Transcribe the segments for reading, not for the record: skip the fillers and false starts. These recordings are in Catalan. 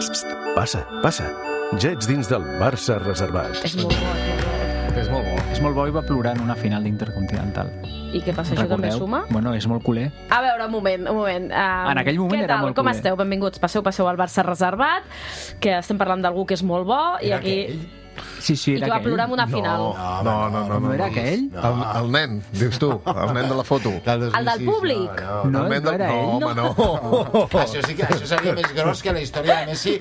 Passa, passa. Ja ets dins del Barça reservat. És molt bo, És molt bo. És molt bo i va plorar en una final d'Intercontinental. I què passa, això també Recordeu? suma? Bueno, és molt culer. A veure, un moment. En aquell moment què era tal? molt Com culer. esteu? Benvinguts. Passeu al Barça reservat, que estem parlant d'algú que és molt bo, i aquí... Sí, I que va plorar en una final. No era aquell? El nen, dius tu, el nen de la foto. El del públic? No, el nen no era ell. home, no. Això sí que això seria més gros que la història de Messi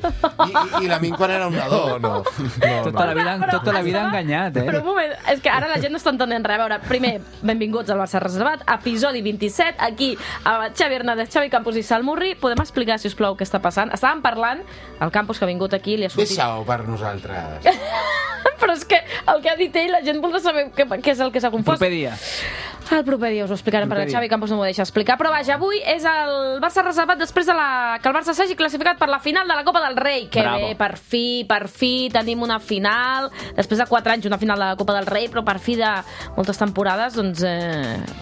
i la Min quan era un nadó. No. Tota la vida enganyat, Però un moment, és que ara la gent no està entenent res. A veure, primer, benvinguts al Barça Reservat, episodi 27, aquí amb Xavi Hernández, Xavi Campos i Salmurri. Podem explicar, si us plau, què està passant? Estàvem parlant, el Campos que ha vingut aquí li ha sortit... Deixa-ho per nosaltres. Però és que el que ha dit ell, la gent voldrà saber què és el que s'ha confós. Proper dia. El proper dia us ho explicarem, perquè Xavi Campos no m'ho deixa explicar. Però vaja, avui és el Barça reservat després de que el Barça s'hagi classificat per la final de la Copa del Rei. Que Bravo. bé, per fi tenim una final. Després de 4 anys una final de la Copa del Rei, però per fi de moltes temporades doncs,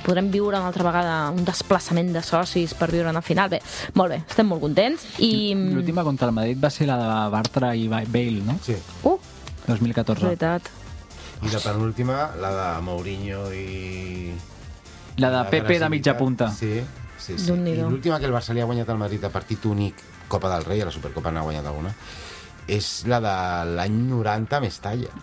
podrem viure una altra vegada un desplaçament de socis per viure una final. Bé, molt bé, estem molt contents. I... L'última contra el Madrid va ser la de Bartra i Bale, no? Sí. 2014. Veritat. I la penúltima, la de Mourinho i... La de Pepe de mitja punta. Sí. I Déu-n'hi-do. l'última que el Barça li ha guanyat al Madrid a partit únic, Copa del Rei, a la Supercopa n'ha guanyat alguna, és la de l'any 90 a Mestalla.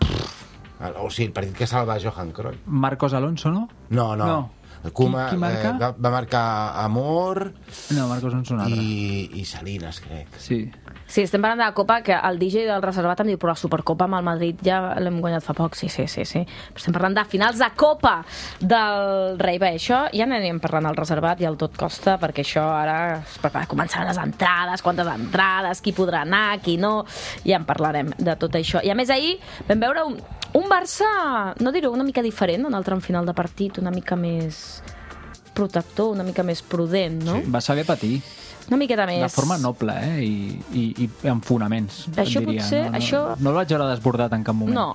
O sigui, el partit que salva Johan Cruyff. Marcos Alonso, no? No. El Koeman, Qui marca? va marcar Amor No, Marcos Alonso un altre. i Salinas, crec. Sí. Sí, estem parlant de la Copa, que el DJ del reservat em diu, però la Supercopa amb el Madrid ja l'hem guanyat fa poc. Sí. Però estem parlant de finals de Copa del Rei. Bé, això ja n'anem parlant al reservat i al tot costa, perquè això ara començaran les entrades, quantes entrades, qui podrà anar, qui no... Ja en parlarem de tot això. I a més ahir vam veure un Barça, no dir-ho, una mica diferent, en el tram final de partit, una mica més protector, una mica més prudent, no? Va saber patir. Una miqueta més... De forma noble, I amb fonaments, Això diria. potser, no, això... No el vaig veure desbordat en cap moment. No.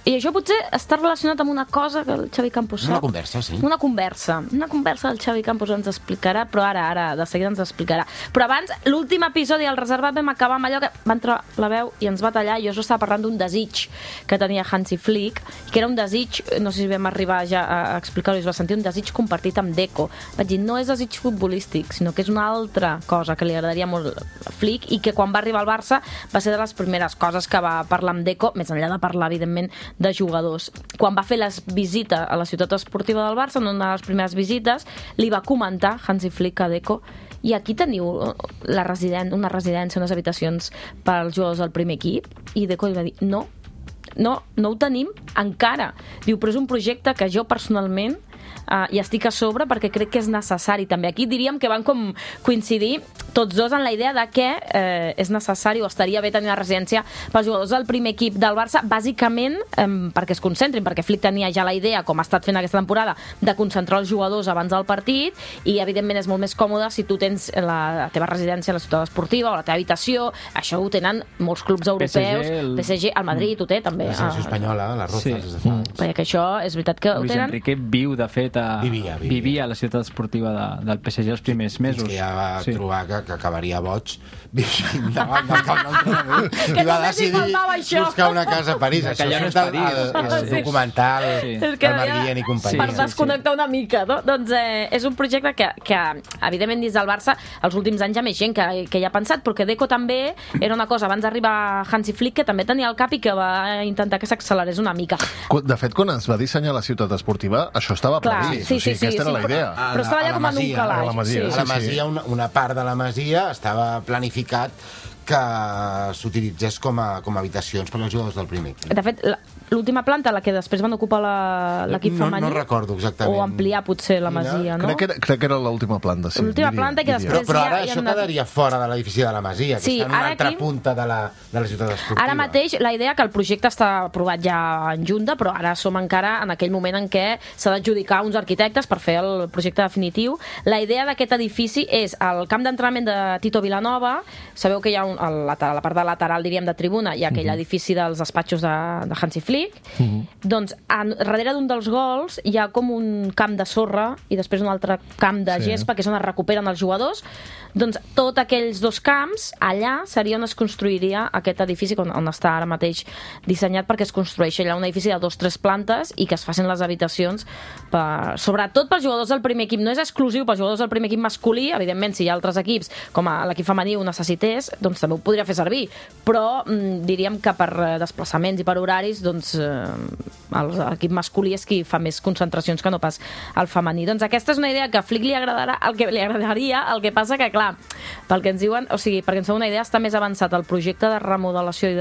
I això potser està relacionat amb una cosa que el Xavi Campos sap. Una conversa, sí. Una conversa del Xavi Campos ens explicarà, però ara, de seguida ens explicarà. Però abans, l'últim episodi del reservat vam acabar amb allò que va entrar la veu i ens va tallar, i jo estava parlant d'un desig que tenia Hansi Flick, que era un desig, no sé si vam arribar ja a explicar-ho, es va sentir un desig compartit amb Deco. Vaig dir, no és desig futbolístic, sinó que és una altra cosa que li agradaria molt a Flick, i que quan va arribar al Barça va ser de les primeres coses que va parlar amb Deco, més enllà de parlar, evidentment, de jugadors. Quan va fer la visita a la ciutat esportiva del Barça, en una de les primeres visites, li va comentar Hansi Flick a Deco, i aquí teniu una residència, unes habitacions pels jugadors del primer equip, i Deco li va dir, no ho tenim encara. Diu, però és un projecte que jo personalment i estic a sobre perquè crec que és necessari també. Aquí diríem que van com coincidir tots dos en la idea de que és necessari o estaria bé tenir una residència pels jugadors del primer equip del Barça, bàsicament perquè es concentrin, perquè Flick tenia ja la idea, com ha estat fent aquesta temporada, de concentrar els jugadors abans del partit, i evidentment és molt més còmode si tu tens la teva residència a la ciutat esportiva o la teva habitació. Això ho tenen molts clubs europeus, PSG, el Madrid ho té també. La selecció espanyola, la Rozas, Sí. des de fa anys. Perquè això és veritat que ho Luis tenen. Enrique viu, de fet, Vivia a la ciutat esportiva del PSG els primers mesos. Que ja va trobar que acabaria boig vivint davant del camp d'entrenament. Que I va només li decidir faltava això. buscar una casa a París. Que allò no és surt París. el documental Sí. És que del Marguien i companyia. per desconnectar una mica, no? Doncs és un projecte que evidentment dins del Barça els últims anys hi ha més gent que hi ha pensat, però que Deco també era una cosa abans d'arribar Hansi Flick que també tenia al cap i que va intentar que s'accelerés una mica. De fet, quan es va dissenyar la ciutat esportiva, això estava Clar, previst. sí, O sigui, aquesta era la idea. Però estava ja com en un calaix. a la Masia, A la Masia, una part de la Masia estava planificat que s'utilitzés com a habitacions per als jugadors del primer equip. De fet, l'última planta, la que després van ocupar l'equip femení... No recordo exactament. O ampliar potser la Masia, no? Crec que era l'última planta, sí. L'última planta que després Però ara hi ha això quedaria fora de l'edifici de la Masia, que Sí, està en una ara altra aquí- punta de la ciutat esportiva. Ara mateix la idea que el projecte està aprovat ja en junta, però ara som encara en aquell moment en què s'ha d'adjudicar uns arquitectes per fer el projecte definitiu. La idea d'aquest edifici és el camp d'entrenament de Tito Vilanova. Sabeu que hi ha a la part de lateral, diríem, de tribuna, hi ha aquell edifici dels despatxos de Hansi Flick, doncs darrere d'un dels gols hi ha com un camp de sorra i després un altre camp de gespa, que és on es recuperen els jugadors. Doncs tots aquells dos camps, allà seria on es construiria aquest edifici, on està ara mateix dissenyat perquè es construeix allà un edifici de 2-3 plantes i que es facin les habitacions sobretot pels jugadors del primer equip. No és exclusiu pels jugadors del primer equip masculí, evidentment si hi ha altres equips com l'equip femení ho necessités, doncs també ho podria fer servir, però diríem que per desplaçaments i per horaris doncs l'equip masculí és qui fa més concentracions que no pas el femení. Doncs aquesta és una idea que a Flick li agradaria, el que passa que, clar, pel que ens diuen, o sigui, perquè ens fa una idea, està més avançat el projecte de remodelació i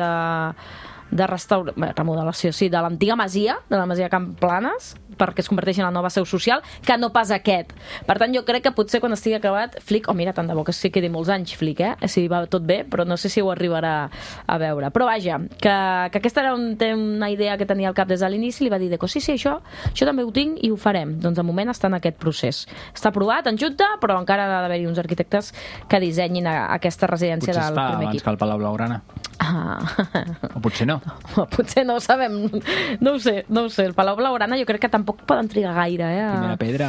de remodelació, sí, de l'antiga masia, de la masia Camp Planes, perquè es converteixi en la nova seu social, que no pas aquest. Per tant, jo crec que potser quan estigui acabat, Flick, mira, tant de bo que sí quedi molts anys, Flick, si va tot bé, però no sé si ho arribarà a veure. Però vaja, que aquesta era una idea que tenia al cap des de l'inici, li va dir, sí, això també ho tinc i ho farem. Doncs de moment està en aquest procés. Està aprovat en junta, però encara ha d'haver-hi uns arquitectes que dissenyin aquesta residència del primer equip. Potser es fa abans que el Palau Blaugrana. O potser no. Potser no ho sabem. No ho sé. El Palau Blaugrana jo crec que tampoc poden trigar gaire. Primera pedra.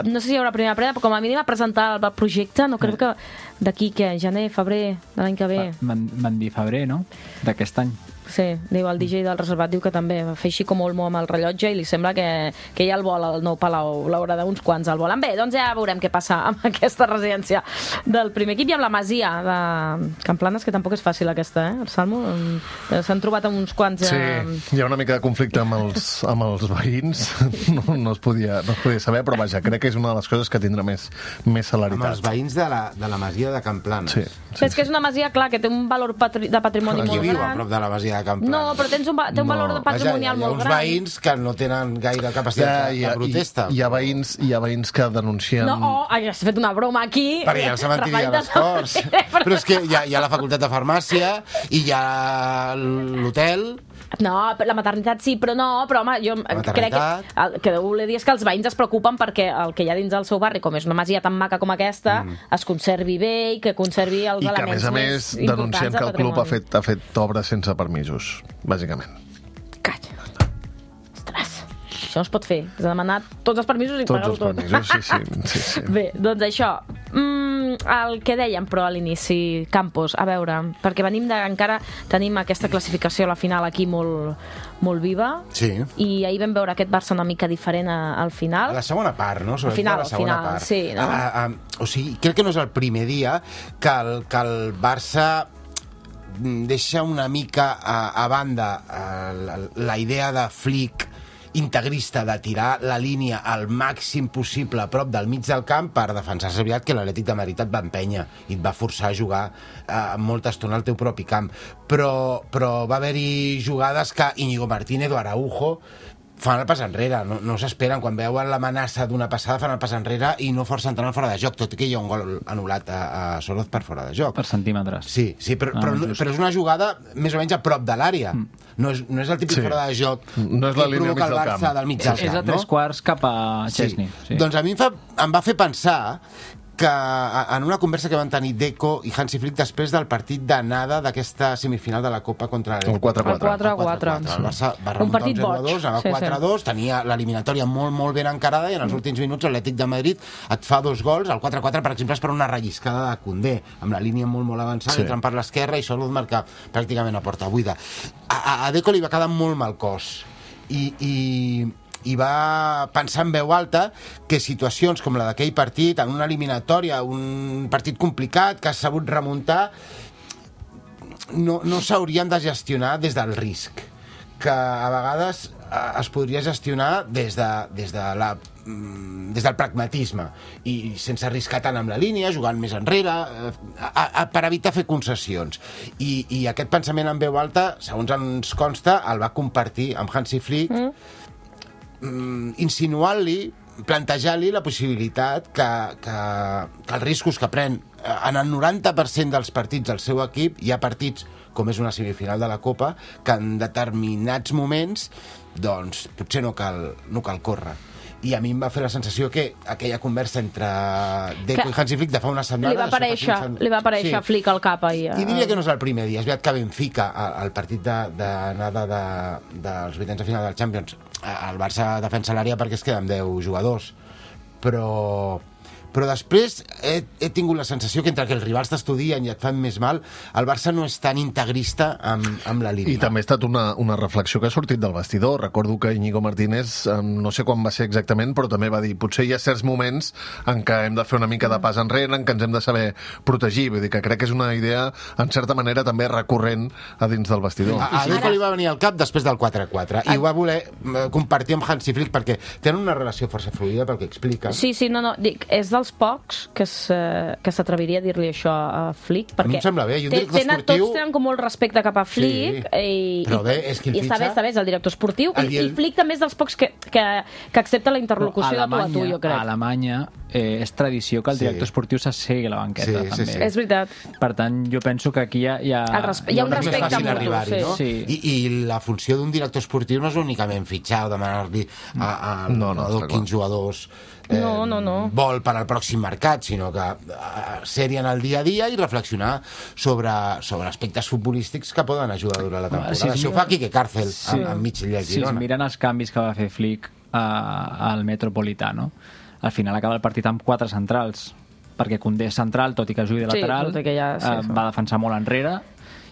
No sé si hi haurà primera pedra, però com a mínim a presentar el projecte, no crec que d'aquí, gener, febrer, de l'any que ve. Van dir febrer, no? D'aquest any. Sí, diu el DJ del reservat, diu que també va fer així com Olmo amb el rellotge i li sembla que ja el vol el nou Palau Blaugrana, uns quants el volen. Bé, doncs ja veurem què passa amb aquesta residència del primer equip i amb la masia de Camp Planes, que tampoc és fàcil aquesta, el Salmo. S'han trobat amb uns quants... Sí, hi ha una mica de conflicte amb els veïns, no es podia saber, però vaja, crec que és una de les coses que tindrà més celeritat. Amb els veïns de la masia de Camp Planes. Sí. És que és una masia, clar, que té un valor de patrimoni molt gran. Qui viu a prop de la masia de Camp Planes? No, però té un valor patrimonial molt gran. Hi ha uns veïns que no tenen gaire capacitat de protesta. Hi ha veïns que denuncien... No, has fet una broma aquí. Perquè hi ha el cementiri de les Corts. Però és que hi ha la facultat de farmàcia i hi ha l'hotel... No, la maternitat sí, però home, jo crec que ho voler dir és que els veïns es preocupen perquè el que hi ha dins del seu barri, com és una masia tan maca com aquesta, es conservi bé i que conservi els elements més importants. I que, a més, denuncien que el club ha fet obres sense permisos, bàsicament. Calla. Ostres, això no es pot fer. Has de demanar tots els permisos i pagar-ho tot. Tots els permisos, sí. Bé, doncs això... el que dèiem, però, a l'inici, Campos, a veure, perquè encara tenim aquesta classificació a la final aquí molt viva, sí. I ahir vam veure aquest Barça una mica diferent al final. A la segona part, no? Al final, part. Sí, no? O sigui, crec que no és el primer dia que el Barça deixa una mica a banda la idea de Flick integrista de tirar la línia al màxim possible a prop del mig del camp per defensar-se aviat que l'Atlètic de Madrid et va empènyer i et va forçar a jugar molta estona al teu propi camp. Però va haver-hi jugades que Íñigo Martínez o Araujo fan el pas enrere, no s'esperen. Quan veuen l'amenaça d'una passada fan el pas enrere i no forcen tant el fora de joc, tot i que hi ha un gol anul·lat a Soroz per fora de joc. Per centímetres. Sí, però és una jugada més o menys a prop de l'àrea. No és el típic fora de joc no és la línia provoca el Barça del mig del camp. És a 3/4 cap a Chesney. Sí. Doncs a mi em va fer pensar que en una conversa que van tenir Deco i Hansi Flick després del partit d'anada d'aquesta semifinal de la Copa contra el 4-4. El Barça va remuntar un 0-2, va 4-2, tenia l'eliminatòria molt ben encarada i en els últims minuts l'Atlètic de Madrid et fa 2 gols. El 4-4, per exemple, és per una relliscada de Koundé, amb la línia molt avançada, entrant per l'esquerra i Soroz marca pràcticament a porta buida. A Deco li va quedar molt mal cos i va pensar en veu alta que situacions com la d'aquell partit, en una eliminatòria, un partit complicat que has sabut remuntar, no s'haurien de gestionar des del risc, que a vegades es podria gestionar des del pragmatisme i sense arriscar tant amb la línia, jugant més enrere, per evitar fer concessions. I aquest pensament en veu alta, segons ens consta, el va compartir amb Hansi Flick, insinuant-li, plantejant-li la possibilitat que els riscos que pren en el 90% dels partits del seu equip, hi ha partits com és una semifinal de la Copa, que en determinats moments doncs potser no cal córrer. i a mi em va fer la sensació que aquella conversa entre Deco i Hansi Flick de fa una setmana... Li va aparèixer Flick al cap ahir. I diria que no és el primer dia. És veritat que Benfica, al partit d'anada dels vuitens de final del Champions, el Barça defensa l'àrea perquè es queda amb 10 jugadors, però després he tingut la sensació que entre que els rivals t'estudien i et fan més mal, el Barça no és tan integrista amb la línia. I també ha estat una reflexió que ha sortit del vestidor. Recordo que Íñigo Martínez, no sé quan va ser exactament, però també va dir potser hi ha certs moments en què hem de fer una mica de pas enrere, en què ens hem de saber protegir. Vull dir que crec que és una idea, en certa manera, també recurrent a dins del vestidor. A Deco li va venir al cap després del 4-4 i ho va voler compartir amb Hansi Flick perquè tenen una relació força fluida pel que explica. Sí, no, dic, és dels pocs que s'atreviria a dir-li això a Flick, perquè a mi em sembla bé, i un director esportiu... Tots tenen com molt respecte cap a Flick, però bé, és que el fitxa... Està bé, és el director esportiu, i Flick també és dels pocs que accepta la interlocució de tu a tu, jo crec. A Alemanya és tradició que el director esportiu s'assegui a la banqueta, també. És veritat. Per tant, jo penso que aquí hi ha un respecte mutu. Sí. I la funció d'un director esportiu no és únicament fitxar o demanar-li a quins jugadors vol per al pròxim mercat, sinó que ser-hi en el dia a dia i reflexionar sobre aspectes futbolístics que poden ajudar durant la temporada. Això ho fa Quique Cárcel enmig de Girona. Si miren els canvis que va fer Flick al Metropolitano, al final acaba el partit amb 4 centrals, perquè Koundé és central, tot i que jugui de lateral, va defensar molt enrere,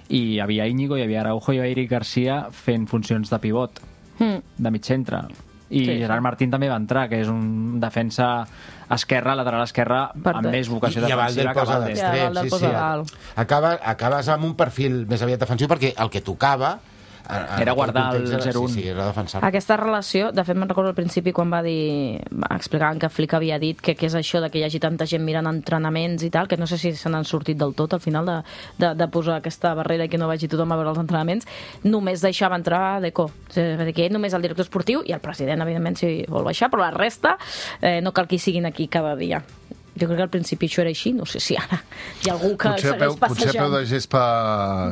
i hi havia Íñigo, hi havia Araujo i hi havia Eric Garcia fent funcions de pivot, de mig centre. I Gerard Martín també va entrar, que és un defensa esquerra, lateral esquerra, amb més vocació defensiva que Valdés. Acabes amb un perfil més aviat defensiu perquè el que tocava era guardar el 0-1. Sí, era defensar. Aquesta relació, de fet me'n recordo al principi quan explicaven que Flick havia dit que és això de que hi hagi tanta gent mirant entrenaments i tal, que no sé si se n'han sortit del tot al final de posar aquesta barrera i que no vagi tothom a veure els entrenaments, només deixava entrar Deco. Ell només el director esportiu i el president, evidentment, si vol baixar, però la resta no cal que hi siguin aquí cada dia. Jo crec que al principi això era així, no sé si ara hi ha algú que segueix passejant. Potser a peu de gespa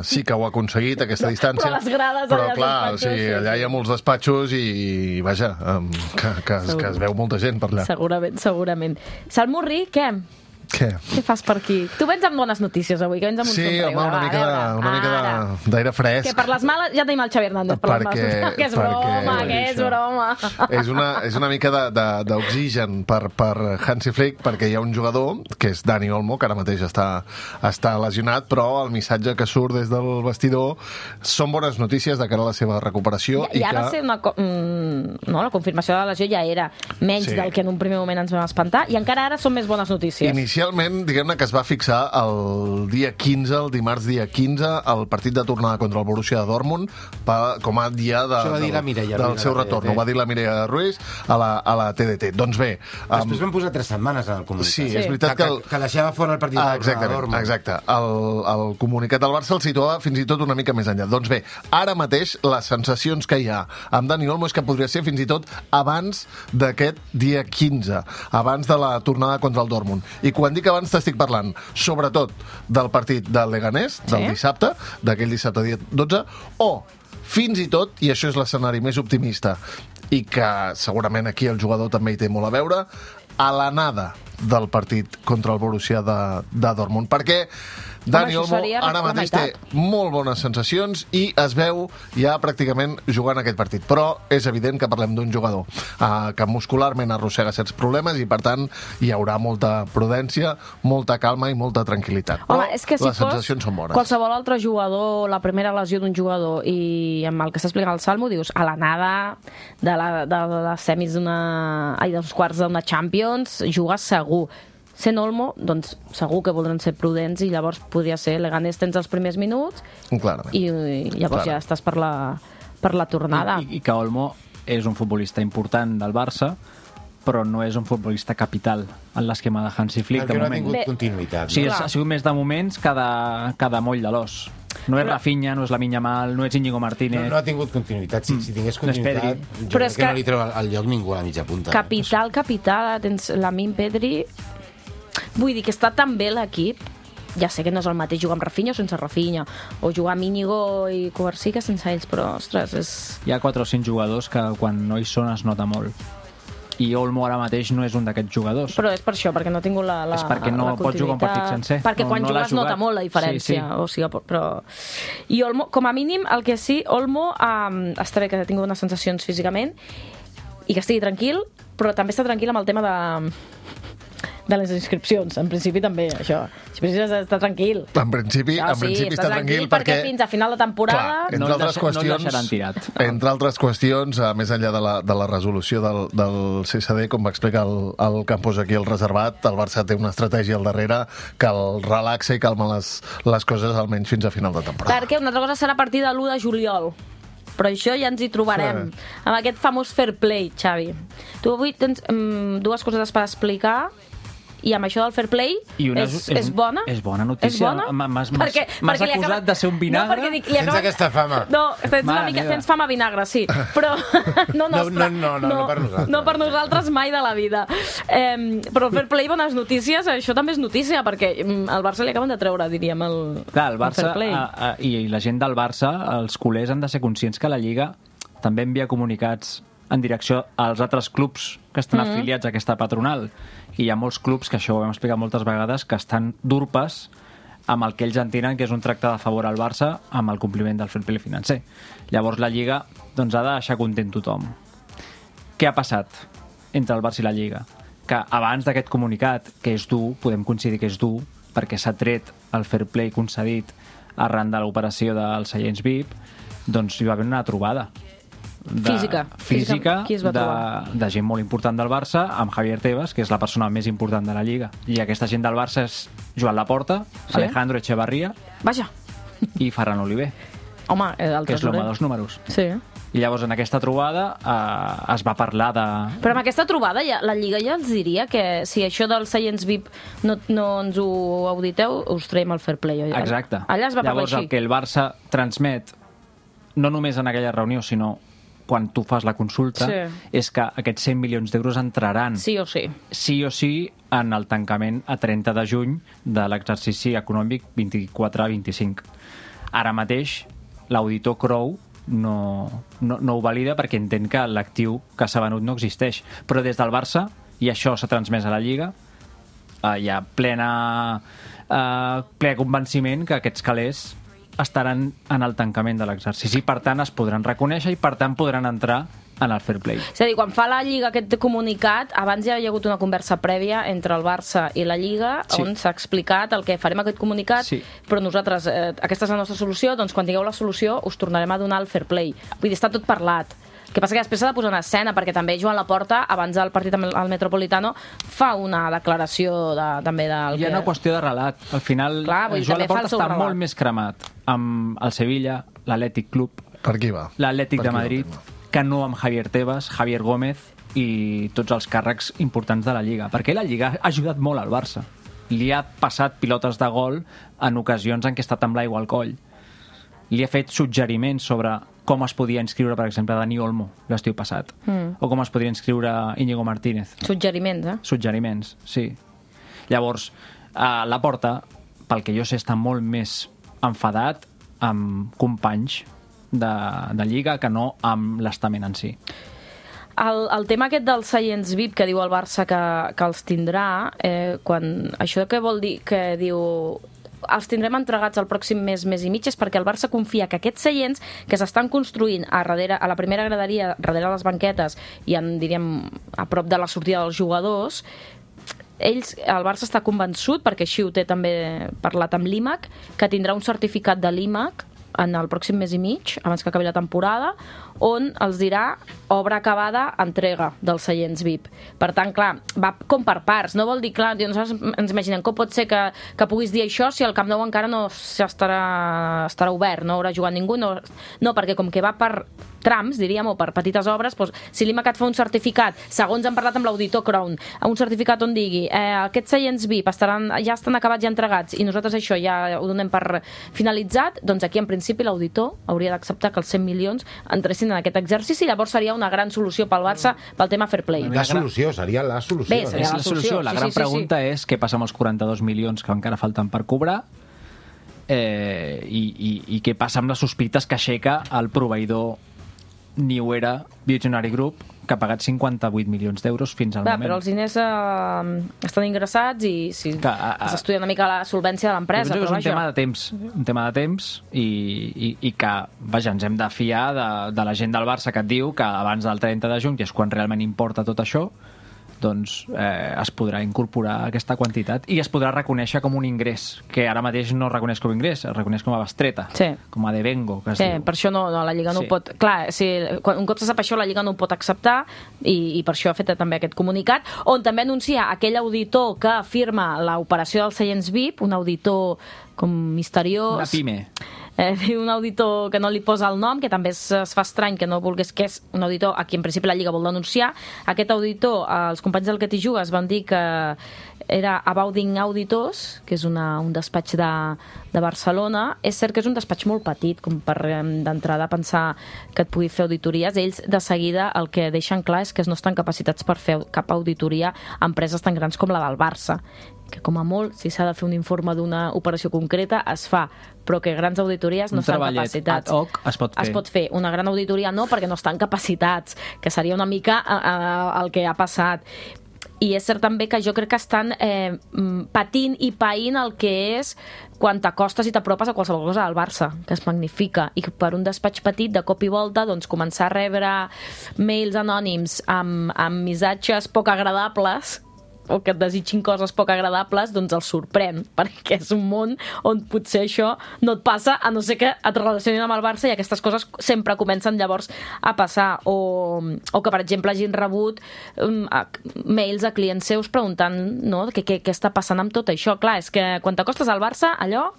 sí que ho ha aconseguit, aquesta distància. Però les grades allà clar, allà hi ha molts despatxos i vaja, que es veu molta gent per allà. Segurament. Salmurri, què? Què fas per aquí? Tu vens amb bones notícies avui, que vens amb un somriure. Sí, home, una mica d'aire fresc. Que per les males ja tenim el Xavi Hernández per les males. Que és broma. És una mica d'oxigen per Hansi Flick, perquè hi ha un jugador, que és Dani Olmo, que ara mateix està lesionat, però el missatge que surt des del vestidor són bones notícies de cara a la seva recuperació. I ara la confirmació de la lesió ja era menys del que en un primer moment ens vam espantar, i encara ara són més bones notícies. Inicialment, diguem-ne que es va fixar el dia 15, el dimarts dia 15, el partit de tornada contra el Borussia de Dortmund com a dia del seu retorn. Ho va dir la Mireia Ruiz a la TDT. Doncs bé... Després van posar 3 setmanes en el comunicat. Sí, és veritat que deixava fora el partit de Dortmund. Exacte. El comunicat del Barça el situava fins i tot una mica més enllà. Doncs bé, ara mateix les sensacions que hi ha amb Dani Olmo és que podria ser fins i tot abans d'aquest dia 15, abans de la tornada contra el Dortmund. I quan dic abans t'estic parlant sobretot del partit del Leganés, del dissabte, d'aquell dissabte dia 12, o fins i tot, i això és l'escenari més optimista, i que segurament aquí el jugador també hi té molt a veure, a l'anada del partit contra el Borussia de Dortmund, perquè Dani Olmo ara mateix té molt bones sensacions i es veu ja pràcticament jugant aquest partit, però és evident que parlem d'un jugador que muscularment arrossega certs problemes i per tant hi haurà molta prudència, molta calma i molta tranquil·litat. Home, és que si les sensacions són bones. Qualsevol altre jugador, la primera lesió d'un jugador i amb el que s'ha explicat el Salmo, dius, a l'anada de les semis dels quarts d'una Champions jugues segur. Sent Olmo, doncs segur que voldran ser prudents i llavors podria ser Leganés tens els primers minuts i llavors ja estàs per la tornada. I que Olmo és un futbolista important del Barça, però no és un futbolista capital en l'esquema de Hansi Flick. Perquè no ha tingut continuïtat. Sí, ha sigut més de moments cada moll de l'os. No és Rafinha, no és Lamine Yamal, no és Íñigo Martínez. No ha tingut continuïtat. Si tingués continuïtat, jo crec que no li treu al lloc ningú a la mitja punta. Capital, tens Lamine Pedri. Vull dir que està tan bé l'equip, ja sé que no és el mateix jugar amb Rafinha o sense Rafinha, o jugar amb Íñigo i Covarsí que sense ells, però, ostres, és... Hi ha 4 o 5 jugadors que quan no hi són es nota molt. i Olmo ara mateix no és un d'aquests jugadors. Però és per això, perquè no ha tingut la és perquè no pot jugar un partit sencer. Perquè quan jugues nota molt la diferència. O sigui, però... I Olmo, com a mínim, el que sí, Olmo està bé que ha tingut unes sensacions físicament i que estigui tranquil, però també està tranquil amb el tema de les inscripcions. En principi també, això. En principi està tranquil. En principi està tranquil perquè fins a final de temporada... Clar, no el deixaran tirat. Entre altres qüestions, més enllà de la resolució del CSD, com va explicar el Campos aquí al reservat, el Barça té una estratègia al darrere que el relaxa i calma les coses almenys fins a final de temporada. Perquè una altra cosa serà a partir de l'1 de juliol. Però això ja ens hi trobarem. Amb aquest famós fair play, Xavi. Tu avui tens dues coses per explicar i amb això del fair play és bona? És bona notícia. M'has acusat de ser un vinagre? Tens aquesta fama. No, tens fama vinagre, sí. Però no nostra. No per nosaltres. No per nosaltres mai de la vida. Però el fair play, bones notícies, això també és notícia, perquè al Barça li acaben de treure, diríem, el fair play. I la gent del Barça, els culers, han de ser conscients que la Lliga també envia comunicats en direcció als altres clubs que estan afiliats a aquesta patronal. I hi ha molts clubs, que això ho hem explicat moltes vegades, que estan d'urpes amb el que ells entenen que és un tracte de favor al Barça amb el compliment del fair play financer. Llavors la Lliga ha de deixar content tothom. Què ha passat entre el Barça i la Lliga? Que abans d'aquest comunicat, que és dur, podem coincidir que és dur, perquè s'ha tret el fair play concedit arran de l'operació dels seients VIP, doncs hi va haver una trobada física de gent molt important del Barça amb Javier Tebas, que és la persona més important de la Lliga, i aquesta gent del Barça és Joan Laporta, Alejandro Echevarría i Ferran Oliver, que és l'home dels números. I llavors en aquesta trobada es va parlar de... Però amb aquesta trobada la Lliga ja els diria que si això dels seients VIP no ens ho auditeu, us traiem el fair play. Exacte. Allà es va parlar així. Llavors el que el Barça transmet, no només en aquella reunió, sinó quan tu fas la consulta, és que aquests 100 milions d'euros entraran sí o sí en el tancament a 30 de juny de l'exercici econòmic 24-25. Ara mateix l'auditor Crowe no ho valida perquè entén que l'actiu que s'ha venut no existeix, però des del Barça, i això s'ha transmès a la Lliga, hi ha ple convenciment que aquests calés estaran en el tancament de l'exercici. Per tant, es podran reconèixer i, per tant, podran entrar en el fair play. És a dir, quan fa la Lliga aquest comunicat, abans ja hi ha hagut una conversa prèvia entre el Barça i la Lliga, on s'ha explicat el que farem aquest comunicat, però nosaltres, aquesta és la nostra solució, doncs quan tingueu la solució us tornarem a donar el fair play. Vull dir, està tot parlat. El que passa que després s'ha de posar en escena, perquè també Joan Laporta, abans del partit al Metropolitano, fa una declaració també del... Hi ha una qüestió de relat. Al final, Joan Laporta està molt més cremat amb el Sevilla, l'Atlètic Club, l'Atlètic de Madrid, que no amb Javier Tebas, Javier Gómez i tots els càrrecs importants de la Lliga. Perquè la Lliga ha ajudat molt al Barça. Li ha passat pilotes de gol en ocasions en què ha estat amb l'aigua al coll. Li ha fet suggeriments sobre com es podia inscriure, per exemple, Dani Olmo l'estiu passat, o com es podria inscriure Íñigo Martínez. Suggeriments, Suggeriments, sí. Llavors, Laporta, pel que jo sé, està molt més enfadat amb companys de Lliga que no amb l'estament en si. El tema aquest dels seients VIP que diu el Barça que els tindrà, això què vol dir? Que diu... els tindrem entregats el pròxim mes i mig, és perquè el Barça confia que aquests seients que s'estan construint a la primera graderia, darrere les banquetes i diríem a prop de la sortida dels jugadors, el Barça està convençut, perquè així ho té també parlat amb l'IMAC, que tindrà un certificat de l'IMAC en el pròxim mes i mig, abans que acabi la temporada, on els dirà obra acabada, entrega dels seients VIP. Per tant, clar, va com per parts. No vol dir, clar, nosaltres ens imaginem com pot ser que puguis dir això si el Camp Nou encara no estarà obert, no haurà jugat ningú. No, perquè com que va per trams, diríem, o per petites obres, doncs, si l'IMACAT fa un certificat, segons hem parlat amb l'auditor Crown, un certificat on digui aquests seients VIP ja estan acabats i entregats i nosaltres això ja ho donem per finalitzat, doncs aquí en principi l'auditor hauria d'acceptar que els 100 milions entressin en aquest exercici, llavors seria una gran solució pel Barça pel tema fair play. Seria la solució. Bé, seria la solució. La gran pregunta és què passa amb els 42 milions que encara falten per cobrar i què passa amb les sospites que aixeca el proveïdor ni ho era Visionary Group, que ha pagat 58 milions d'euros fins al moment. Però els diners estan ingressats i s'estudia una mica la solvència de l'empresa. És un tema de temps i que, vaja, ens hem de fiar de la gent del Barça que et diu que abans del 30 de juny, que és quan realment importa tot això, doncs es podrà incorporar aquesta quantitat i es podrà reconèixer com un ingrés, que ara mateix no es reconeix com a ingrés, es reconeix com a bestreta, com a devengo, que es diu. Per això no, la Lliga no ho pot... Clar, un cop se sap això, la Lliga no ho pot acceptar i per això ha fet també aquest comunicat, on també anuncia aquell auditor que firma l'operació dels seients VIP, un auditor com misteriós... Una pime. Un auditor que no li posa el nom, que també es fa estrany que no volgués, que és un auditor a qui en principi la Lliga vol denunciar. Aquest auditor, els companys del Que t'hi jugues van dir que era Abounding Auditors, que és un despatx de Barcelona. És cert que és un despatx molt petit, com per d'entrada pensar que et pugui fer auditories. Ells de seguida el que deixen clar és que no estan capacitats per fer cap auditoria a empreses tan grans com la del Barça, que com a molt, si s'ha de fer un informe d'una operació concreta, es fa, però que grans auditories no estan capacitats. Un treballet ad hoc es pot fer. Es pot fer. Una gran auditoria no, perquè no estan capacitats, que seria una mica el que ha passat. I és cert també que jo crec que estan patint i païnt el que és quan t'acostes i t'apropes a qualsevol cosa del Barça, que es magnifica, i per un despatx petit, de cop i volta, doncs començar a rebre mails anònims amb missatges poc agradables, o que et desitgin coses poc agradables, doncs els sorprèn, perquè és un món on potser això no et passa, a no ser que et relacionin amb el Barça, i aquestes coses sempre comencen llavors a passar, o que, per exemple, hagin rebut mails a clients seus preguntant què està passant amb tot això. Clar, és que quan t'acostes al Barça, allò...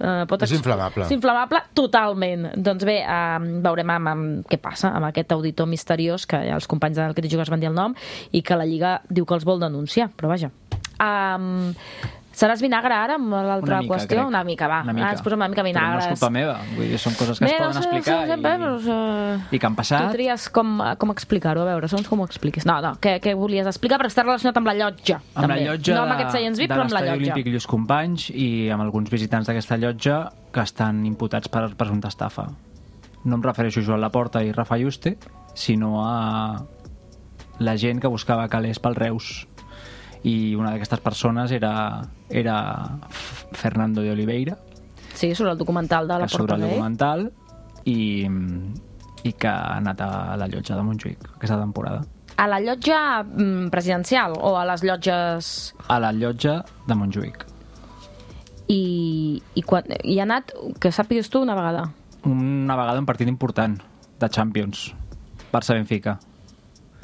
és inflamable. És inflamable totalment. Doncs bé, veurem què passa amb aquest auditor misteriós, que els companys del Que t'hi jugues van dir el nom, i que la Lliga diu que els vol denunciar, però vaja. Seràs vinagre ara amb l'altra qüestió? Una mica, va. Ens posem una mica vinagre. Però no és culpa meva. Vull dir, són coses que es poden explicar i que han passat. Tu tries com explicar-ho, a veure, segons com ho expliques. No, què volies explicar, perquè està relacionat amb la llotja. Amb la llotja no amb aquests seients VIP, però amb la llotja. De l'Estadi Olímpic Lluís Companys i amb alguns visitants d'aquesta llotja que estan imputats per presumpta estafa. No em refereixo a Joan Laporta i Rafa Yuste, sinó a la gent que buscava calés pel Reus. I una d'aquestes persones era Fernando de Oliveira. Sí, sobre el documental de la Porta sobre el documental i que ha anat a la llotja de Montjuïc aquesta temporada. A la llotja presidencial o a les llotges... A la llotja de Montjuïc. I ha anat, que sàpigues tu, una vegada? Una vegada un partit important de Champions, Barça-Benfica.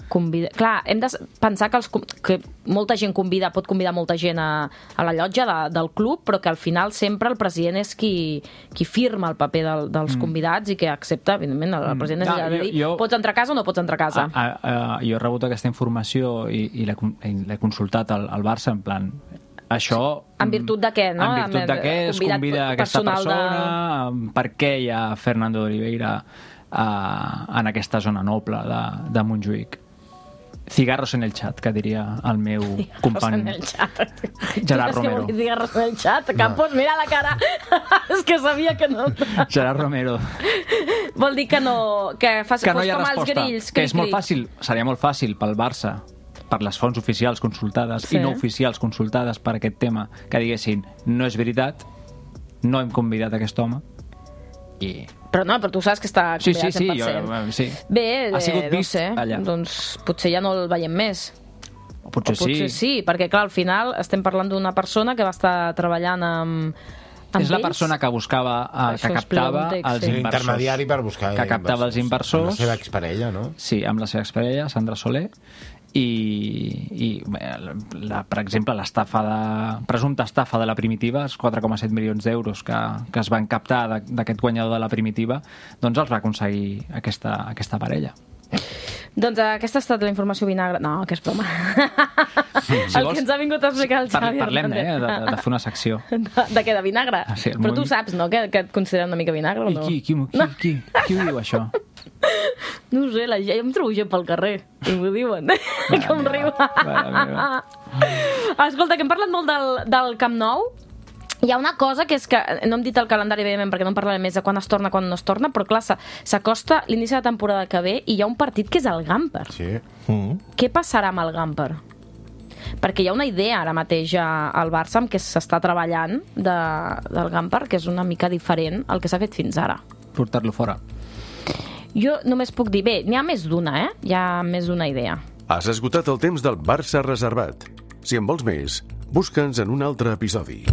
Clar, hem de pensar que molta gent pot convidar molta gent a la llotja del club, però que al final sempre el president és qui firma el paper dels convidats i que accepta, evidentment, el president és allà de dir pots entrar a casa o no pots entrar a casa. Jo he rebut aquesta informació i l'he consultat al Barça, en plan, això... En virtut de què, no? En virtut de què es convida aquesta persona, per què hi ha Fernando de Oliveira en aquesta zona noble de Montjuïc. Cigarros en el chat, que diria el meu company Gerard Romero. És que cigarros en el chat? Campos, mira la cara. És que sabia que no. Gerard Romero. Vol dir que no... Que no hi ha resposta. Que és molt fàcil, seria molt fàcil pel Barça, per les fonts oficials consultades i no oficials consultades per aquest tema, que diguessin, no és veritat, no hem convidat aquest home, però tu saps que està convidat 100%. Sí. Bé, ha sigut vist allà. Doncs potser ja no el veiem més. Potser sí, perquè clar, al final estem parlant d'una persona que va estar treballant amb és la persona que buscava, que captava els inversors. Intermediari per buscar que captava els inversors. Amb la seva exparella, no? Sí, amb la seva exparella, Sandra Soler. I per exemple, presumpta estafa de la Primitiva, els 4,7 milions d'euros que es van captar d'aquest guanyador de la Primitiva, doncs els va aconseguir aquesta parella. Doncs aquesta ha estat la informació vinagre. No, que és broma. El que ens ha vingut a explicar el Xavi Hernández. Parlem, de fer una secció. De què, de vinagre? Sí, però tu saps, no?, que et consideren una mica vinagre o no? Qui ho diu, això? No ho sé, jo em trobo gent pel carrer i m'ho diuen. Com riu. Escolta, que hem parlat molt del Camp Nou Hi ha una cosa que és que, no hem dit el calendari evidentment perquè no en parlarem més de quan es torna, quan no es torna, però clar, s'acosta l'inici de la temporada que ve i hi ha un partit que és el Gamper. Sí. Què passarà amb el Gamper? Perquè hi ha una idea ara mateix al Barça amb què s'està treballant del Gamper, que és una mica diferent al que s'ha fet fins ara. Portar-lo fora. Jo només puc dir, bé, n'hi ha més d'una, hi ha més d'una idea. Has esgotat el temps del Barça reservat. Si en vols més, busca'ns en un altre episodi.